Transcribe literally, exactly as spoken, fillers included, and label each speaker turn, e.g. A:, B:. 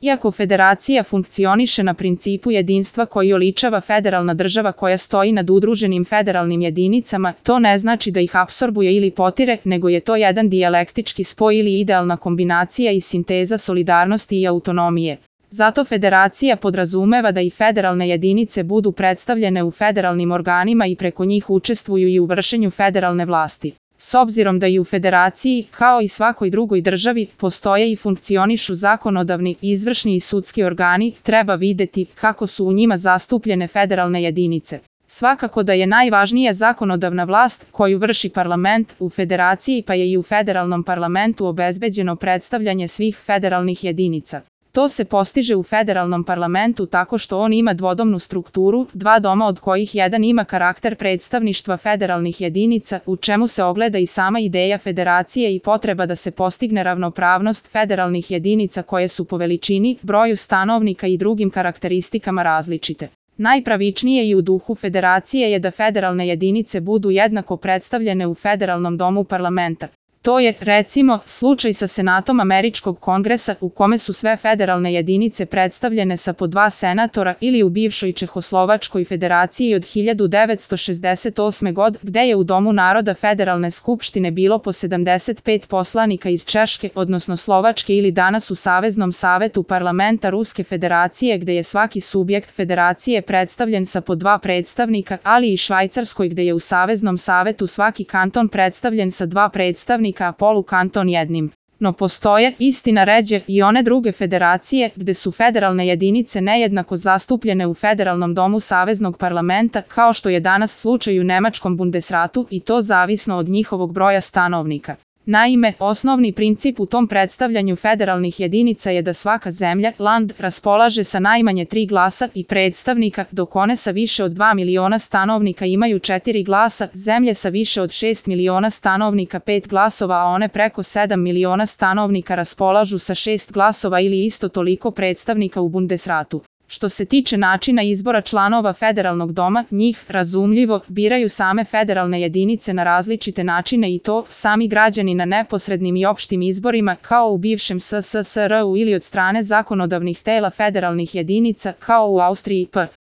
A: Iako federacija funkcioniše na principu jedinstva koji oličava federalna država koja stoji nad udruženim federalnim jedinicama, to ne znači da ih apsorbuje ili potire, nego je to jedan dijalektički spoj ili idealna kombinacija i sinteza solidarnosti i autonomije. Zato federacija podrazumeva da i federalne jedinice budu predstavljene u federalnim organima i preko njih učestvuju i u vršenju federalne vlasti. S obzirom da i u federaciji, kao i svakoj drugoj državi, postoje i funkcionišu zakonodavni, izvršni i sudski organi, treba videti kako su u njima zastupljene federalne jedinice. Svakako da je najvažnija zakonodavna vlast koju vrši parlament u federaciji, pa je i u federalnom parlamentu obezbeđeno predstavljanje svih federalnih jedinica. To se postiže u federalnom parlamentu tako što on ima dvodomnu strukturu, dva doma od kojih jedan ima karakter predstavništva federalnih jedinica, u čemu se ogleda i sama ideja federacije i potreba da se postigne ravnopravnost federalnih jedinica koje su po veličini, broju stanovnika i drugim karakteristikama različite. Najpravičnije i u duhu federacije je da federalne jedinice budu jednako predstavljene u federalnom domu parlamenta. To je, recimo, slučaj sa Senatom Američkog kongresa u kome su sve federalne jedinice predstavljene sa po dva senatora ili u bivšoj Čehoslovačkoj federaciji od hiljadu devetsto šezdeset osme. godine gde je u Domu naroda Federalne skupštine bilo po sedamdeset pet poslanika iz Češke, odnosno Slovačke ili danas u Saveznom savetu parlamenta Ruske federacije gde je svaki subjekt federacije predstavljen sa po dva predstavnika, ali i Švajcarskoj gde je u Saveznom savetu svaki kanton predstavljen sa dva predstavnika, a polukanton jednim. No postoje, istina ređe, i one druge federacije gde su federalne jedinice nejednako zastupljene u federalnom domu saveznog parlamenta, kao što je danas slučaj u Nemačkom Bundesratu, i to zavisno od njihovog broja stanovnika. Naime, osnovni princip u tom predstavljanju federalnih jedinica je da svaka zemlja, land, raspolaže sa najmanje tri glasa i predstavnika, dok one sa više od dva miliona stanovnika imaju četiri glasa, zemlje sa više od šest miliona stanovnika pet glasova, a one preko sedam miliona stanovnika raspolažu sa šest glasova ili isto toliko predstavnika u Bundesratu. Što se tiče načina izbora članova federalnog doma, njih, razumljivo, biraju same federalne jedinice na različite načine i to sami građani na neposrednim i opštim izborima, kao u bivšem S S S R U ili od strane zakonodavnih tela federalnih jedinica, kao u Austriji p.